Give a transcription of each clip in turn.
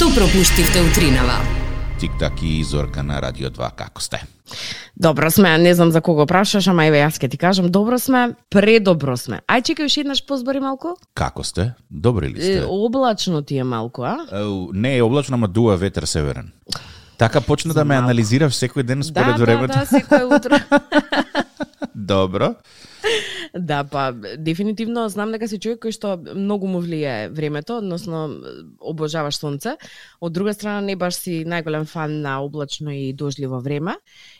Што пропуштивте утринава? Тик-так и Зорка на Радио 2, како сте? Добро сме, не знам за кого прашаш, ама еве јас ќе ти кажам, добро сме, предобро сме. Ај чекај уште еднаш позбори малку? Како сте? Добри ли сте? Облачно ти е малку, а? Не е облачно, ама дуа ветер северен. Така почна да ме анализираш секој ден според времето. Да, секој утро. Добро. Да, па дефинитивно знам дека си човек кој што многу му влијае времето, односно обожаваш сонце. Од друга страна не баш си најголем фан на облачно и дожливо време.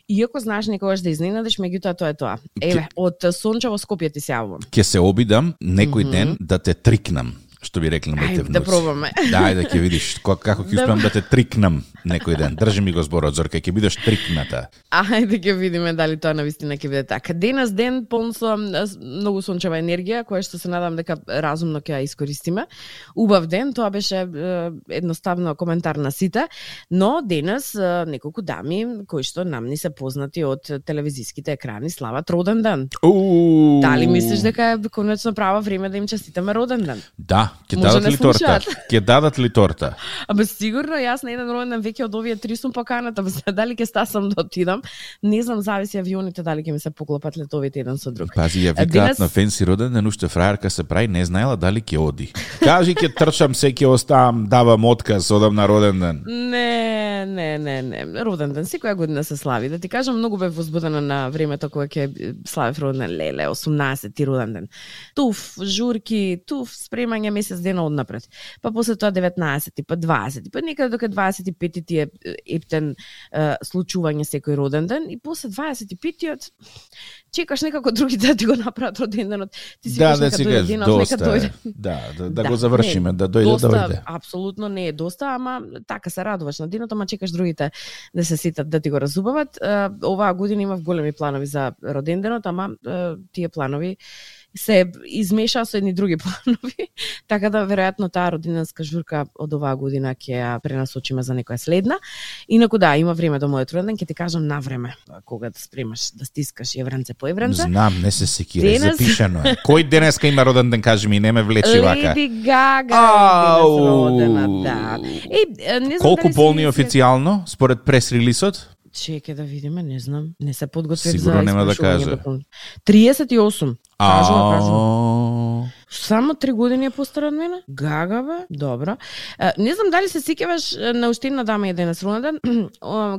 Иако знаеш некогаш да изненадиш, меѓутоа тоа е тоа. Еве, од сончево Скопје ти се јавувам. Ќе се обидам некој ден да те трикнам. Што би рекли моите внуци. Да пробаме. Да, да ќе видиш како ќе успеам да те трикнам некој ден. Држи ми го зборот, Зорка, ќе бидеш трикната. Ајде ќе видиме дали тоа навистина ќе биде така. Денес ден полн со многу сончева енергија, која што се надам дека разумно ќе ја искористиме. Убав ден, тоа беше едноставно коментар на сите, но денес неколку дами кои што нам ни се познати од телевизиските екрани слават роден ден. Дали мислиш дека е конечно право време да им честитаме роден ден? Да. Ќе дадат ли торта? Ќе дадат ли торта? Абе сигурно, јас на еден роден ден веќе од овие 3 сум поканата, дали ќе стасам да отидам. Не знам, зависи авионите дали ќе ми се поклопат летовите еден со друг. Пази, ја викаат на фенси роден ден, уште фрајерка се прави, не знаела дали ќе оди. Кажи ќе трчам, се ќе оставам, давам отказ, одам на роден ден. Не. Роден ден секоја година се слави. Да ти кажам, многу бев возбудена на времето кога ќе славев роден ден, леле, 18-ти роден ден. Туф, журки, спремање месец дена однапред. Па после тоа 19-ти, па 20-ти, па некаде дока 25-ти ти е ептен случување секој роден ден и после 25-тиот чекаш некако другите да ти го направат роден денот. Ти си да си кажеш, доста е. Да го завршиме, да дојде. Апсолутно не е доста, ама така се радуваш на денот, ама чекаш другите да се сетат да ти го разубават. Оваа година имав големи планови за роден денот, ама тие планови се измеша со едни други планови, така да веројатно таа роденденска журка од оваа година ќе ја пренасочиме за некоја следна. Инаку да, има време до мојот роденден, ќе ти кажам на време кога да спремаш, да стискаш евренце по евренце. Знам, не се секира, запишано е. Кој денеска има роденден, кажи ми, не ме влечи вака. Леди Гага е родена, да. Не знам колку полни официјално според прес-релисот? Чекај да видиме, не знам. Не се подготвив за сигурно нема да каже. 38. Кажува. Само 3 години е постара од мене? Гага, бе? Добро. Не знам дали се сеќаваш на уште една дама еден роденден.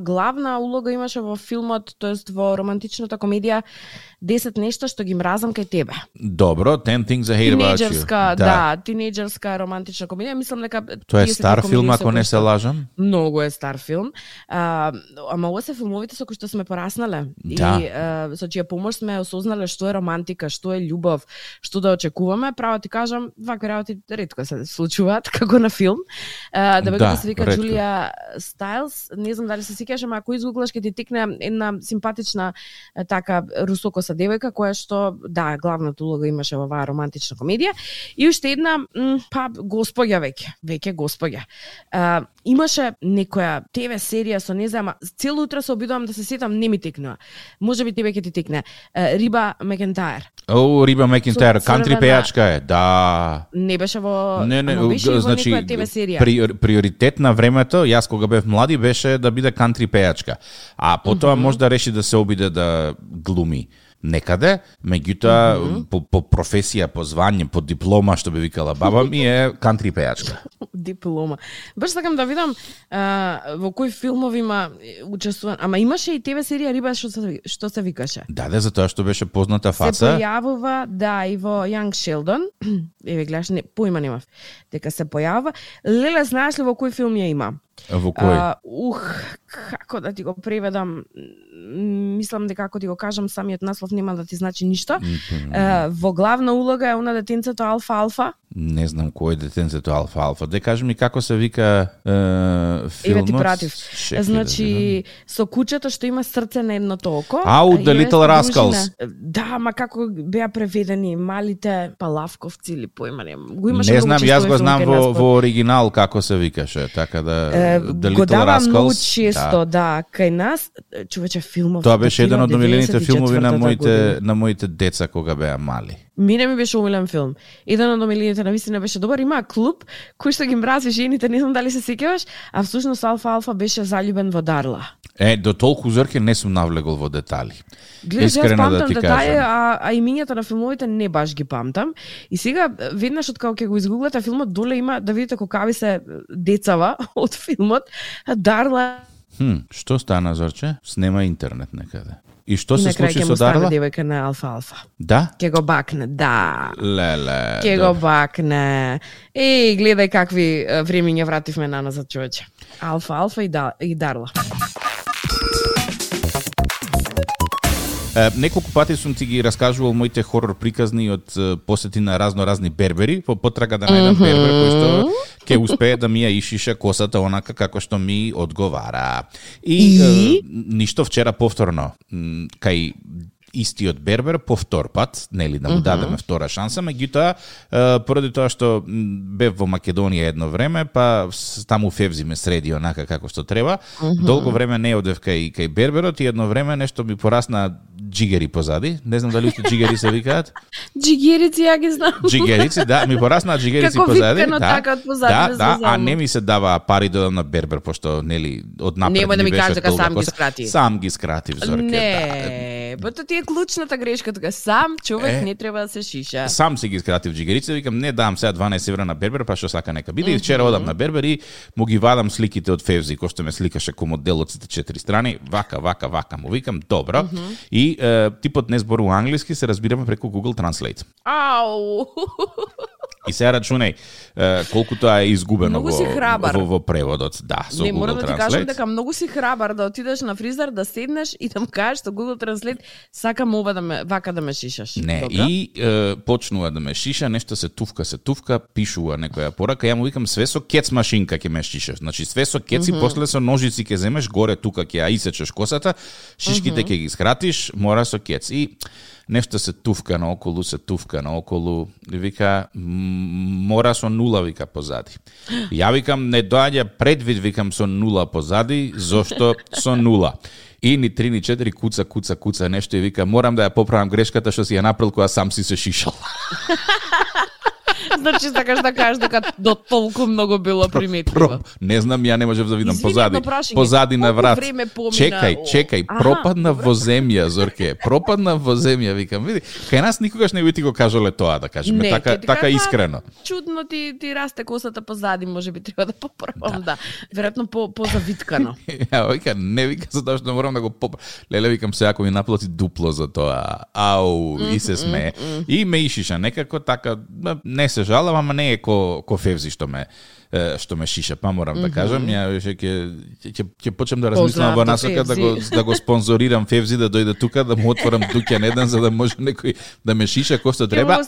Главна улога имаше во филмот, тоест во романтичната комедија 10 нешта што ги мразам кај тебе. Добро, 10 things I hate about you. Да, тинејџерска романтична комедија. Мислам дека тоа е стар филм, ако не се лажам. Многу е стар филм. Ама ова се филмовите со кои што сме пораснале. Да. И со чија помош сме осознале што е романтика, што е љубов, што да очекуваме. Право ти кажам, вакви работи ретко се случуваат како на филм. Да се вика Джулија Стайлс, не знам дали се сеќаш, ама ако изгуглаш ќе ти текне една симпатична така русокоса девојка која што главната улога имаше во оваа романтична комедија и уште една госпоѓа веќе госпоѓа. Имаше некоја ТВ серија со не знам, цело утро се обидувам да се сетам, не ми текнува. Можеби тебе ќе ти текне. Риба Макентајр. Риба Макентајр, кантри пејачка е, да. Не беше во беше значи, во некоја ТВ серија. Приоритет на времето, јас кога бев млади, беше да биде кантри пејачка. А потоа може да реши да се обиде да глуми некаде, меѓутоа по професија, по звање, по диплома, што би викала баба ми, е кантри пејачка. Диплома. Баш сакам да видам во кои филмови има учествуван. Ама имаше и ТВ серија Риба што се викаше. Да, затоа што беше позната фаца. Се појавува, и во Young Sheldon. Еве гледаш, поима немав. Дека се појавува. Леле, знаеш ли во кој филм ја има? Во кој? Како да ти го преведам? Мислам дека ако ти го кажам самиот наслов нема да ти значи ништо. Во главна улога е она детенцето Алфа. Не знам кој е детенцето Алфа. Де кажи ми како се вика филмот. Еве ти пратив. Значи со кучето што има срце на едното око. The Little Rascals. Да, ма како беа преведени малите палавковци или поима нема. Не знам, јас го знам во оригинал како се викаше, така да The Little Rascals. Го давам многу често, кај нас, човече, филмов. Тоа беше еден од омилените филмови на моите деца кога беа мали. Мене ми беше омилен филм. Еден од омилените навистина беше добар. Има клуб кој што ги мрази жените, не знам дали се сеќаваш, а всушност Алфа беше заљубен во Дарла. До толку зорке не сум навлегол во детали. Гледаш, јас памтам детаји, а имињата на филмовите не баш ги памтам. И сега, веднаш од кога ќе го изгуглате филмот, доле има да видите какави се децава од филмот. Дарла... Што стана, Зорче? Снема интернет некаде. И што се случи со Дарла? И накрај ќе му стане девојка на Алфа. Да? Ке го бакне, да. Леле. Ке го бакне. Гледај какви времиња вративме на назад, човече. Алфа и Дарла. Неколку пати сум ти ги раскажувал моите хорор приказни од посети на разни бербери, по потрага да најдам бербер кој што ќе успее да ми ја ишиша косата онака како што ми одговара. И ништо вчера повторно кај истиот бербер по втор пат, нели да му дадеме втора шанса, меѓутоа поради тоа што бев во Македонија едно време, па таму Февзи ме среди онака како што треба. Долго време не одев кај берберот и едно време нешто ми порасна джигери позади. Не знам дали уште джигери се викаат. Джигерици, ја ги знам. Джигерици, да, ми порасна джигерици позади. Како така од позади. Да, а не ми се дава пари да одам на бербер, пошто нели од напред нема да ми беше кажеш дека сам коса. ги скрати. Сам ги скратив, Зорке. Не, тоа ти е клучната грешка тука. Сам човек не треба да се шиша. Сам си ги скратив джигерици, викам не дам сега 12 евра на бербер, па што сака нека биде. И вчера одам на бербер и му ги вадам сликите од Февзи, кој што ме сликаше ко модел од сите 4 страни, вака, му викам добро. И типот не зборува англиски, се разбираме преку Google Translate. Ау. И сега рачунај колку тоа е изгубено во преводот, да, со Google Translate. Не, морам да ти кажам дека многу си храбар да отидеш на фризер, да седнеш и да му кажеш со Google Translate сакам ова вака да ме шишаш. Не, добро? И почнува да ме шиша, нешто се туфка, пишува некоја порака, ја му викам све со кец машинка ќе ме шишаш. Значи све со кец и после со ножици ќе земеш горе тука ќе ја исечеш косата, шишките ќе ги скратиш, мора со кец. И нешто се туфка наоколу, и вика, мора со нула, вика, позади. Ја викам, не доаѓа предвид, викам, со нула позади, зошто со нула? И ни 3, ни 4, куца, нешто, и вика, морам да ја поправам грешката што си ја направил кога сам си се шишал. Значи сакаш да кажеш дека до толку многу било приметливо. Не знам, ја не можев да видам позади на врат. Чекај, пропадна во земја, Зорке. Пропадна во земја, викам. Види, кај нас никогаш не би ти го кажале тоа, да кажеме, така искрено. Чудно ти расте косата позади, можеби треба да поправам, да. Веројатно позавиткано. Ја, вика, не вика за тоа што морам да го поправам. Леле, викам се, ако ми наплати дупло за тоа. Ау, и се смее. И ме ишиша некако така, не се жалам, ама не е ко Февзи што ме шиша, па морам да кажам, ја ќе почнем да размислам во насока да го спонзорирам Февзи да дојде тука, да му отворам дуќан еден за да може некој да ме шиша кој што треба,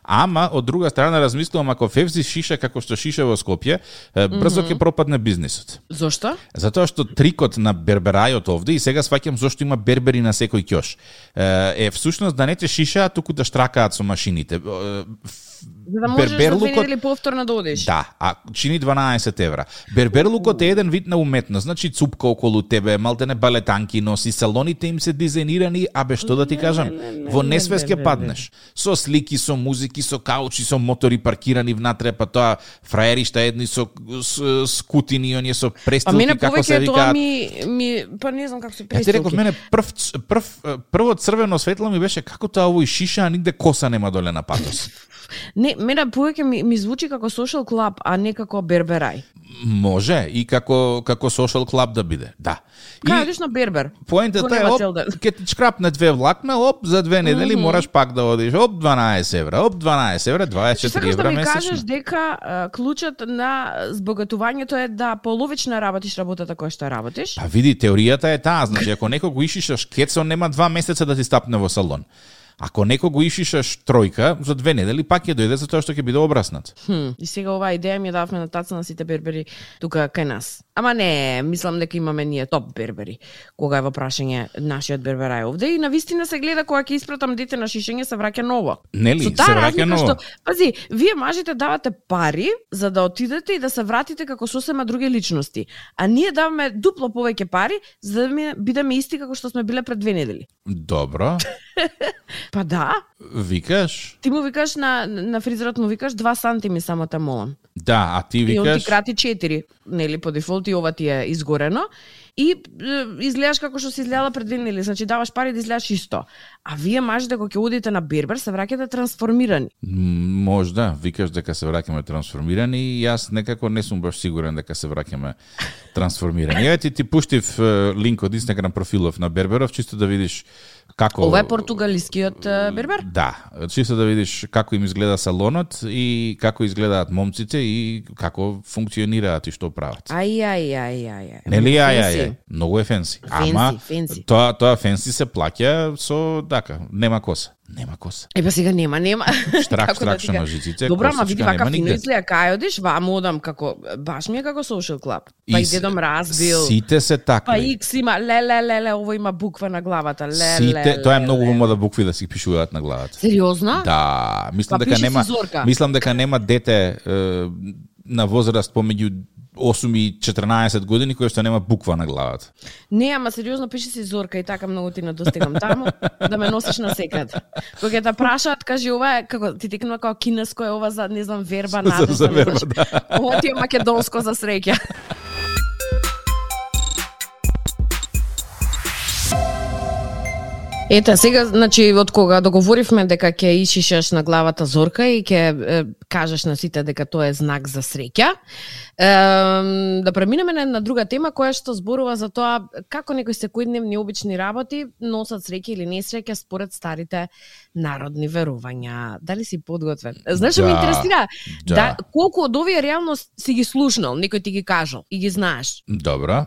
ама од друга страна размислувам ако Февзи шиша како што шиша во Скопје, брзо ќе пропадне бизнисот. Зошто? Затоа што трикот на берберајот овде, и сега сваќам зошто има бербери на секој ќош, е всушност да не те шишаат, туку да штракаат со машините. За да можеш да или повторно да одиш. Да, а чини 12 евра. Берберлукот е еден вид на уметност, значи цупка околу тебе, малтене балетанки носи, салоните им се дизајнирани, абе што да ти кажам, во несвест ќе паднеш. Со слики, со музики, со каучи, со мотори паркирани внатре, па тоа фраеришта едни со скутини, оние со престилки, како се викаат. Па не знам како се престилки. Ја ти реков, мене прво црвено светло ми беше како тоа овој шиша, а нигде коса нема доле на патос. Не, мене повеќе ми звучи како social club, а не како берберај. Може и како social club да биде, да. Кај на бербер. Поентата е, ке ти шкрапне 2 влакна, за 2 недели мораш пак да одиш, 12 евра, 24 евра месечно. Сакаш да ми кажеш дека клучот на збогатувањето е да половично работиш работата која што работиш? Па види, теоријата е таа, значи ако некој го ишишаш кецо, нема 2 месеца да ти стапне во салон. Ако некој го ишишаш тројка, за 2 недели пак ќе дојде за тоа што ќе биде обраснат. И сега оваа идеја ми ја давме на таца на сите бербери тука кај нас. Ама не, мислам дека имаме ние топ бербери. Кога е во прашање нашиот берберај овде и навистина се гледа кога ќе испратам дете на шишење се враќа ново. Нели, се враќа ново. Пази, вие мажите давате пари за да отидете и да се вратите како сосема други личности, а ние даваме дупло повеќе пари за да бидеме исти како што сме биле пред 2 недели. Добро. Па да. Викаш? Ти му викаш на фризерот му викаш 2 сантими само те молам. Да, а ти викаш... И он ти крати 4, нели, по дефолт и ова ти е изгорено. И изгледаш како што си изгледала пред 2 недели, значи даваш пари да изгледаш исто. А вие мажите кога ќе одите на бербер се враќате трансформирани. Можда, викаш дека се враќаме трансформирани и јас некако не сум баш сигурен дека се враќаме трансформирани. Еве ти пуштив линк од Инстаграм профилов на берберов чисто да видиш како... Ова е португалискиот бербер? Да, чисто да видиш како им изгледа салонот и како изгледаат момците и како функционираат и што прават. Ај. Нели ај. Многу е фенси. Ама фенси. Тоа фенси се плаќа со нема коса. Нема коса. Па сега нема. Штрак што на жиците. Добро, ама види вака фино изгледа, кај одиш, ваму одам како баш ми е како social club. Па и дедом разбил. Сите се такви. Па X има ле, ово има буква на главата. Сите, тоа е многу помода букви да си пишуваат на главата. Сериозно? Да, мислам дека нема дете на возраст помеѓу 8 и 14 години кој што нема буква на главата. Не, ама сериозно пише си Зорка и така многу ти недостигам таму да ме носиш на секад. Кога те прашаат, кажи ова е како ти текнува како кинеско е ова за не знам верба надежда. За верба, да. Ова ти е македонско за среќа. Ете, сега, значи, од кога договоривме дека ќе ишишеш на главата Зорка и ќе кажеш на сите дека тоа е знак за среќа, да преминеме на една друга тема која што зборува за тоа како некои секојдневни обични работи носат среќа или несреќа според старите народни верувања. Дали си подготвен? Знаеш што ме интересира? Да, колку од овие реално си ги слушнал, некој ти ги кажал и ги знаеш? Добро.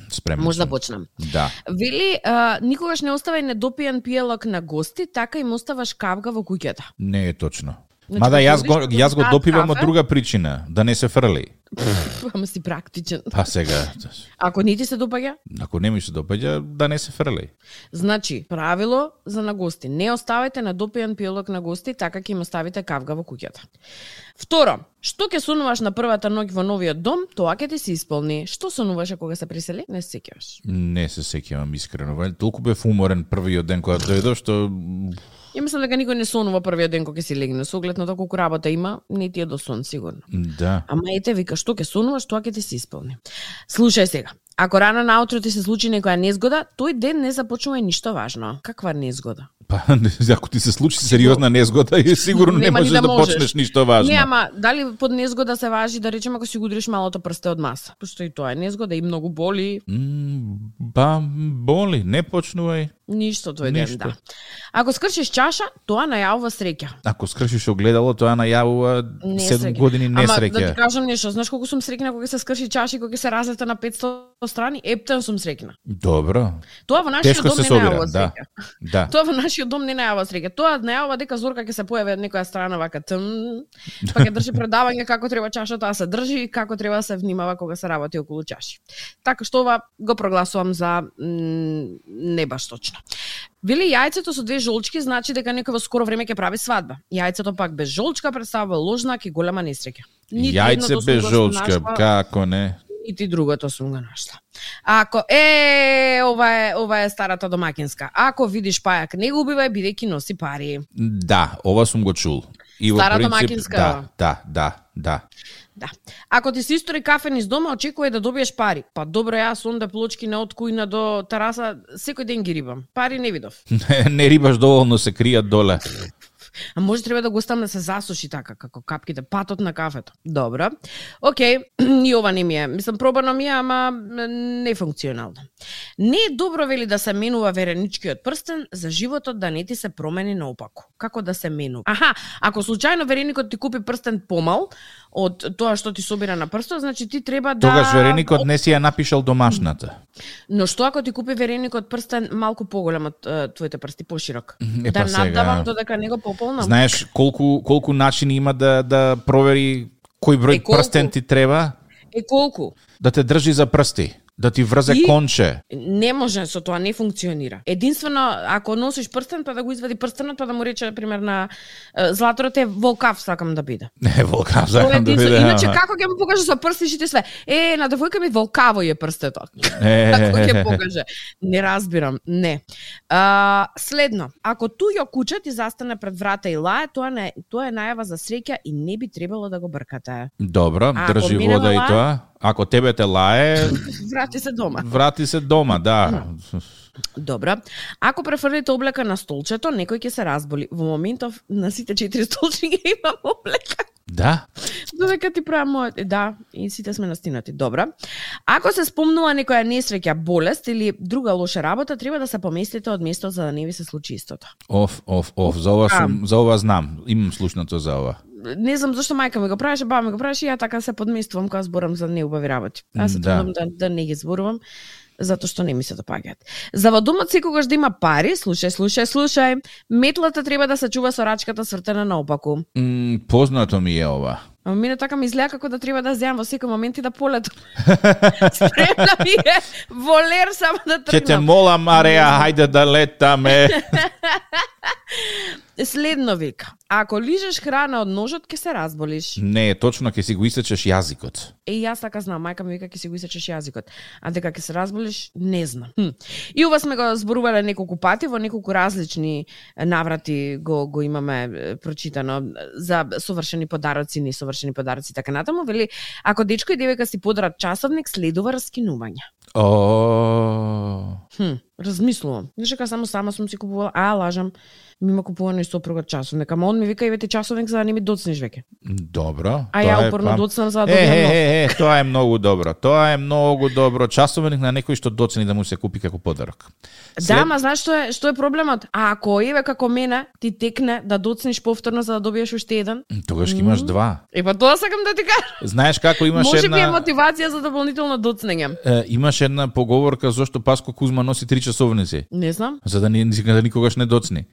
Спремен. Може да почнам. Да. Вели, никогаш не оставај недопиен пијалок на гости, така им оставаш кавга во куќата. Не е точно. Значи, мада јас го допивам од друга причина, да не се фрли. Ама си практичен. Па сега. Ако не ти се допаѓа? Ако не ми се допаѓа, да не се фрли. Значи, правило за на гости. Не оставајте недопиен пијалок на гости, така ќе им оставите кавга во куќата. Второ, што ќе сонуваш на првата ноќ во новиот дом, тоа ќе ти се исполни. Што сонуваше кога се присели? Не се сеќаваш. Не се сеќавам искрено. Толку бев уморен првиот ден кога дојдов што Ја мислам дека никој не сонува првиот ден кога ќе си легне, со оглед на тоа колку работа има, не ти е до сон сигурно. Да. Ама ете вика што ќе сонуваш, тоа ќе ти се исполни. Слушај сега. Ако рано наутро ти се случи некоја незгода, тој ден не започнува ништо важно. Каква незгода? Па, ако ти се случи сериозна незгода, сигурно не можеш да почнеш ништо важно. Не, ама дали под незгода се важи да речеме ако си го удриш малото прсте од маса? Пошто и тоа е незгода и многу боли. Ба, боли, не почнувај. Ништо тој ден, да. Ако скршиш чаша, тоа најавува среќа. Ако скршиш огледало, тоа најавува 7 години несреќа. Ама да ти кажам нешто, знаеш колку сум среќна кога се скрши чаша и кога се разлета на 500 страни, ептен сум среќна. Добро. Тоа во нашиот дом не најавува среќа. Да. Тоа во нашиот дом не најавува среќа. Тоа најавува дека Зорка ќе се појави од некоја страна вака па ќе држи предавање како треба чашата да се држи и како треба да се внимава кога се работи околу чаши. Така што ова го прогласувам за не баш точно. Вели јајцето со 2 жолчки значи дека некој во скоро време ќе прави свадба. Јајцето пак без жолчка представува лош знак и голема несреќа. Јајце без жолчка, како не? И ти другото сум го нашла. Ако ова е старата домакинска. Ако видиш пајак, не го убивај бидејќи носи пари. Да, ова сум го чул. И Стара домакинска. Да. Ако ти се истори кафе низ дома, очекувај да добиеш пари. Па добро, јас онда плочки на од кујна до тераса секој ден ги рибам. Пари не видов. Не рибаш доволно, се кријат доле. А може треба да го оставам да се засуши така, како капките, патот на кафето. Добро. Океј, и ова не ми е. Мислам, пробано ми е, ама не функционално. Не е добро, вели, да се менува вереничкиот прстен за животот да не ти се промени наопаку. Како да се менува? Аха, ако случајно вереникот ти купи прстен помал од тоа што ти собира на прстот, значи ти треба да... Тогаш вереникот не си ја напишал домашната. Но што ако ти купи вереникот прстен малку поголем од твоите прсти, поширок? Да наддавам додека него пополнам. Знаеш колку начини има да провери кој број прстен ти треба? Колку? Да те држи за прсти. Да ти врзе конче. Не може, со тоа не функционира. Единствено, ако носиш прстен, па да го извади прстенот, па да му рече, пример, на златорот е волкав сакам да биде. Не, волкав сакам да биде. Иначе, како ќе му покаже со прстишите све? На девојка ми волкаво е прстетот. Како ќе покаже? Не разбирам, не. Следно, ако туѓо куче ти застане пред врата и лае, тоа е најава за среќа и не би требало да го бркате. Добро, држи вода и тоа. Ако тебе те лае, врати се дома. Врати се дома, да. Добро. Ако префрлите облека на столчето, некој ќе се разболи. Во моментов на сите 4 столчи ги имам облека. Да. Додека ти правам мојот, да, и сите сме настинати. Добро. Ако се спомнува некоја несреќа, болест или друга лоша работа, треба да се поместите од место за да не ви се случи истото. За ова знам. Имам слушнато за ова. Не знам зашто мајка ми го правеше, баба ми го правеше и ја така се подместувам кога зборам за неубави работи. Аз се трудам да не ги зборувам, затоа што не ми се допаѓаат. За во домот секогаш да има пари, слушај, метлата треба да се чува со рачката свртена наопаку. Познато ми е ова. Ама мене така ми изгледа како да треба да земам во секој момент и да полетам. Спремна ми е волер само да тргнам. Ќе те молам, Мареја, хајде да летаме. Следно вика, ако лижеш храна од ножот, ќе се разболиш. Не, точно ќе си го исечеш јазикот. Јас така знам, мајка ми вика ќе си го исечеш јазикот. А дека ќе се разболиш, не знам. И ова сме го зборувале неколку пати, во неколку различни наврати го имаме прочитано за совршени подароци, несовршени подароци така натаму. Вели, ако дечко и девојка си подарат часовник, следува раскинување. Размислувам. Знаеш дека сама сум си купувала, лажам, ми има купувано и сопруга часовник, ама он ми вика ивете часовник за да не ми доцнеш веќе. Добро. А ја упорно доцнам за да добијам нов. Тоа е многу добро. Тоа е многу добро. Часовник на некој што доцни да му се купи како подарок. Да, ма знаеш што е проблемот? А ако еве како мене ти текне да доцниш повторно за да добиеш уште еден, тогаш ќе имаш два. Па тоа сакам да ти кажам. Знаеш како имаш Може би е мотивација за дополнително доцнење. Имаш една поговорка зошто Паско Кузма носи 3 часовници. Не знам. За да никогаш не доцни.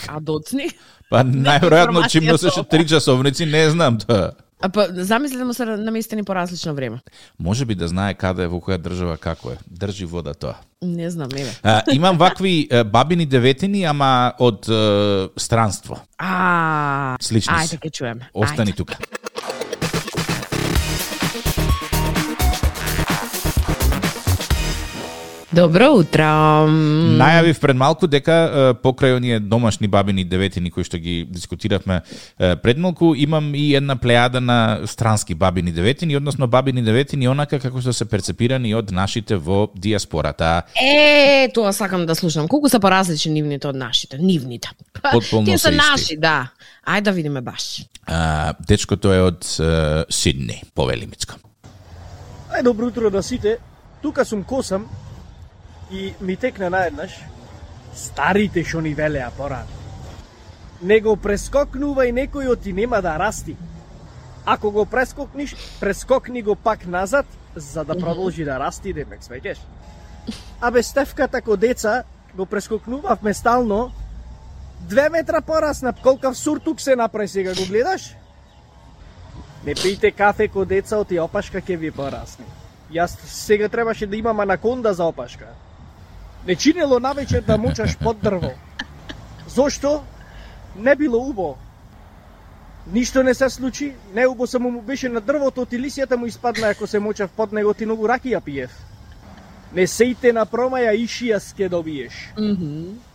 А доцни? Па најверојатно чим носеше 3 часовници, не знам тоа. Па замисли да му се наместени по различно време. Може би да знае каде, во која држава како е. Држи вода тоа. Не знам, еве. Имам вакви бабини деветини, ама од странство. Слични се. Ајде ќе чуеме. Остани тука. Добро утро. Најавив пред малку дека покрај оние домашни бабини деветини кои што ги дискутиравме пред малку, имам и една плејада на странски бабини деветини, односно бабини деветини онака како што се перцепирани од нашите во диаспората. Тоа сакам да слушам. Колку се поразлични нивните од нашите? Нивните. Потполно се се наши, да. Ајде да видиме баш. Дечкото е од Сидни, Повелимицко. Добро утро на сите. Тука сум косам и ми текна наеднаш старите што ни велеа порано. Не го прескокнува и некојот ти нема да расти. Ако го прескокниш, прескокни го пак назад, за да продолжи да расти, демек свеќеш. А без Стефката ко деца го прескокнувавме стално 2 метра порасна. Колкав суртук се направи сега, го гледаш? Не пијте кафе ко деца, оти опашка ќе ви порасне. Јас сега требаше да имам анаконда за опашка. Не чинело навечер да мучаш под дрво. Зошто? Не било убо. Ништо не се случи, не убо само му беше на дрвото, ти лисијата му испадна ако се мучав под него, ти многу ракија пиев. Не сејте на промаја, ишијас ке добиеш.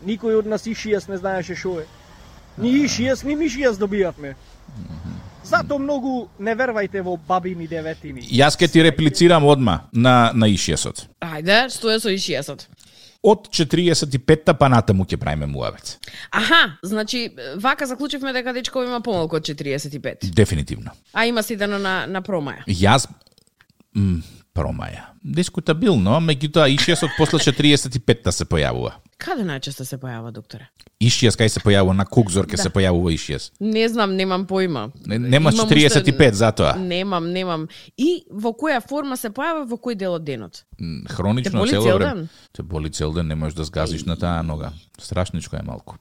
Никој од нас ишијас не знаеше шо е. Ни ишијас, ни мишијас добијавме. Зато многу не вервајте во бабини деветини. Јас ке ти реплицирам одма на ишијасот. Ајде, што е со ишијасот? Од 45-та па натаму ќе правиме муавец. Значи, вака заклучивме дека дечко има помалку од 45. Дефинитивно. А има сидено на промаја. Јас промаја. Дискутабилно, меѓутоа ишијасот после 45-та се појавува. Каде најчесто се појавува, докторе? Ишијас кај се појавува на Кукзор, ке се појавува ишијас. Не знам, немам поима. Немаш 45 затоа. Немам. И во која форма се појавува, во кој дел од денот? Хронично цело време. Те боли цел ден, не можеш да сгазиш на таа нога. Страшничко е малку.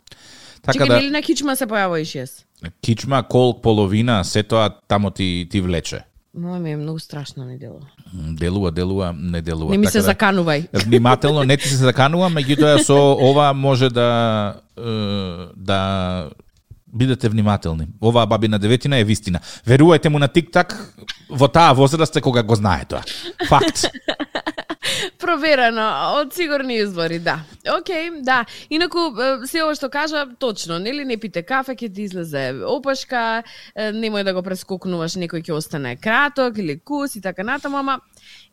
Така нели на кичма се појавува ишијас? Кичма, колк, половина, се тоа тамо ти влече. Мој ми е многу страшно не делува. Делува, не делува. Не ми се заканувај. Внимателно, не ти се заканува, меѓутоа со ова може да бидете внимателни. Оваа бабина деветина е вистина. Верувајте му на тик-так во таа возраст кога го знае тоа. Факт. Проверено, од сигурни извори, да. Океј, да. Инаку, се ова што кажа, точно, нели, не пите кафе, ќе ти излезе опашка, немој да го прескокнуваш, некој ќе остане краток или кус и така натаму, ама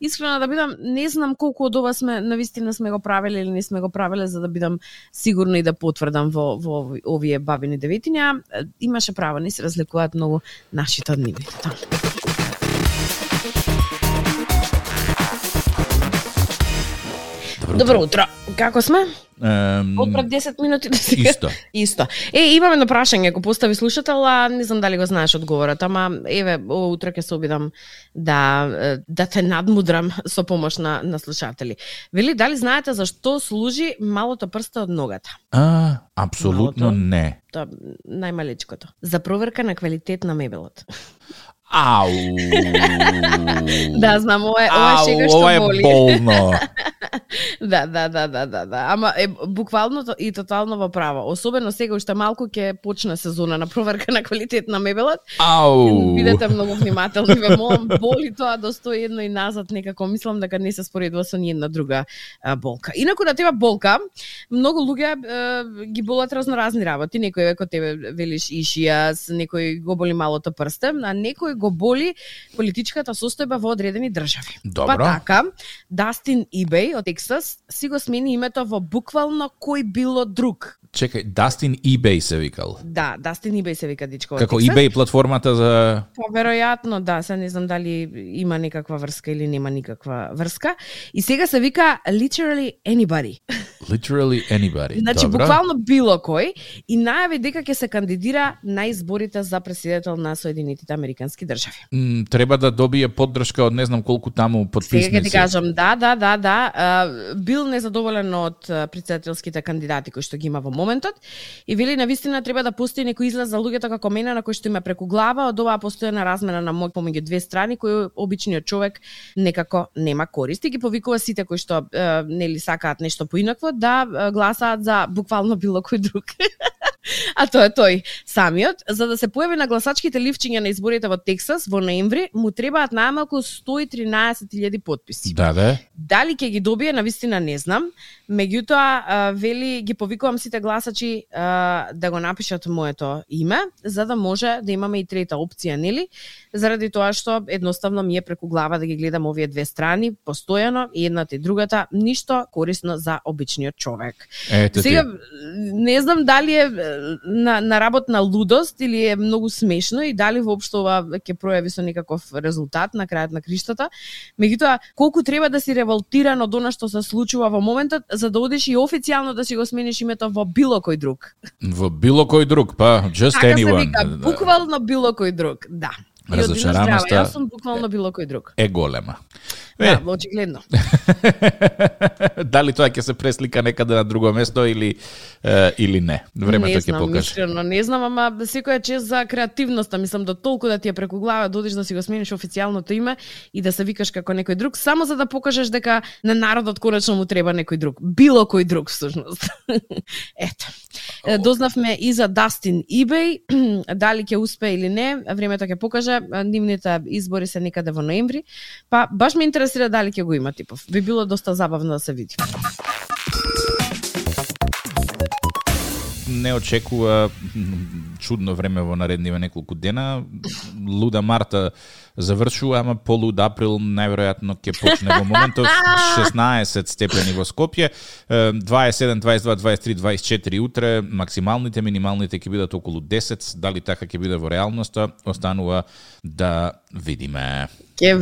искрено да бидам, не знам колку од ова навистина сме го правеле или не сме го правеле, за да бидам сигурна и да потврдам во овие бабини деветиња. Имаше право, не се разликуваат многу нашите од нивните. Добро утро. Како сме? Од пред 10 минути до сега. Исто. Имаме едно прашање, го постави слушател, а не знам дали го знаеш одговорот, ама еве, утро ќе се обидам да те надмудрам со помош на слушатели. Вели, дали знаете зашто служи малото прсто од ногата? Апсолутно не. Тоа најмалечкото. За проверка на квалитет на мебелот. Ау. Да, знам, ова е шега што боли. Ова е болно. Да. Ама буквално и тотално во право. Особено сега уште малку ќе почне сезона на проверка на квалитет на мебелот. Ау. Бидете многу внимателни, ве молам, боли тоа до 101 и назад, некако мислам дека не се споредува со ниедна друга болка. Инаку на тебе болка, многу луѓе ги болат разноразни работи. Некој како тебе велиш ишијас, некој го боли малото прсте, а некој го боли политичката состојба во одредени држави. Добро. Па така, Дастин Ебей од Тексас си го смени името во буквално кој било друг. Чекај, Дастин Ебей се викал. Да, Дастин Ебей се вика дичко. Како eBay платформата за... Па веројатно, да, се не знам дали има некаква врска или нема никаква врска. И сега се вика literally anybody. Literally anybody. Значи, добро. буквално било кој и најави дека ќе се кандидира на изборите за председател на Соединетите Американски држави. Треба да добие поддршка од не знам колку таму подписници. Сега ќе ти кажам, да. Бил незадоволен од председателските кандидати кои што ги има во моментот и вели навистина треба да постои некој излаз за луѓето како мене на кој што има преку глава од оваа постојана размена на моќ помеѓу две страни кој обичниот човек некако нема корист и ги повикува сите кои што нели сакаат нешто поинакво да гласаат за буквално било кој друг. А тоа е тој самиот. За да се појави на гласачките ливчиња на изборите во Тексас во ноември, му требаат најмалку 113.000 потписи. Да. Дали ќе ги добие, навистина не знам. Меѓутоа, вели, ги повикувам сите гласачи да го напишат моето име, за да може да имаме и трета опција, нели? Заради тоа што едноставно ми е преку глава да ги гледам овие две страни постојано и едната и другата, ништо корисно за обичниот човек. Сега не знам дали е на работна лудост или е многу смешно и дали воопшто ова ќе пројави со некаков резултат на крајот на криштата. Меѓутоа, колку треба да си револтиран од она што се случува во моментот за да одиш и официјално да си го смениш името во било кој друг. Во било кој друг, па just така anyone. Така се вика, буквално било кој друг, да. Разочараноста Јас сум буквално било кој друг. Е голема. Да, очигледно. Дали тоа ќе се преслика некаде на друго место или не? Времето ќе покаже. Искрено, не знам, ама секоја чест за креативноста, мислам да толку да ти е преку глава да одиш да си го смениш официјалното име и да се викаш како некој друг, само за да покажеш дека на народот конечно му треба некој друг. Било кој друг всушност. Ето. Дознавме и за Дастин Ебей, дали ќе успее или не, времето ќе покаже. Нивните избори се некаде во ноември, па баш ме интересира дали ќе го има типов. Би било доста забавно да се види. Не очекува чудно време во наредниве неколку дена. Луда Марта завршува, ама полуд април најверојатно ќе почне во моментов. 16 степени во Скопје, 27, 22, 23, 24 утре, максималните, минималните ќе бидат околу 10. Дали така ќе биде во реалноста, останува да видиме. Ќе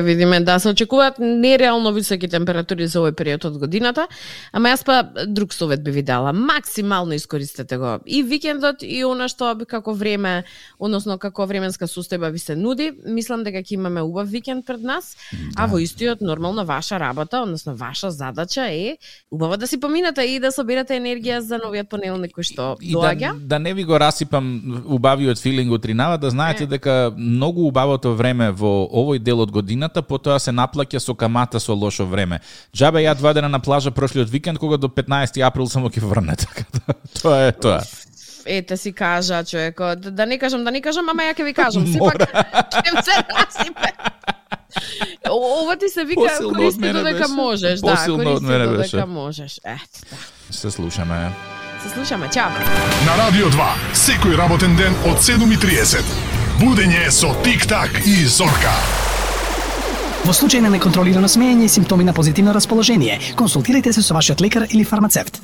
видиме. Да, се очекуваат нереално високи температури за овој период од годината, ама јас па друг совет би ви дала. Максимално искористете го. И викендот, и она што како време, односно како временска состојба ви се нуди. мислам дека ќе имаме убав викенд пред нас, а во истиот нормално ваша работа, односно ваша задача е убаво да си поминате и да соберете енергија за новиот понеделник кој што доаѓа. Да не ви го расипам убавиот филинг утринава, да знаете дека многу убавото време во овој дел од годината потоа се наплаќа со камата со лошо време. Џабе ја 2 дена на плажа прошлиот викенд кога до 15 април само ќе врне, така тоа е тоа. Ете си кажа човекот, да не кажам, ама ја ќе ви кажам, сепак ќе се расипе. Ова ти се вика користи додека можеш, користи додека можеш. Се слушаме. Чао. На Радио 2, секој работен ден од 7:30. Будење со Тик-так и Зорка. Во случај на неконтролирано смеење и симптоми на позитивно расположение, консултирайте се со вашиот лекар или фармацевт.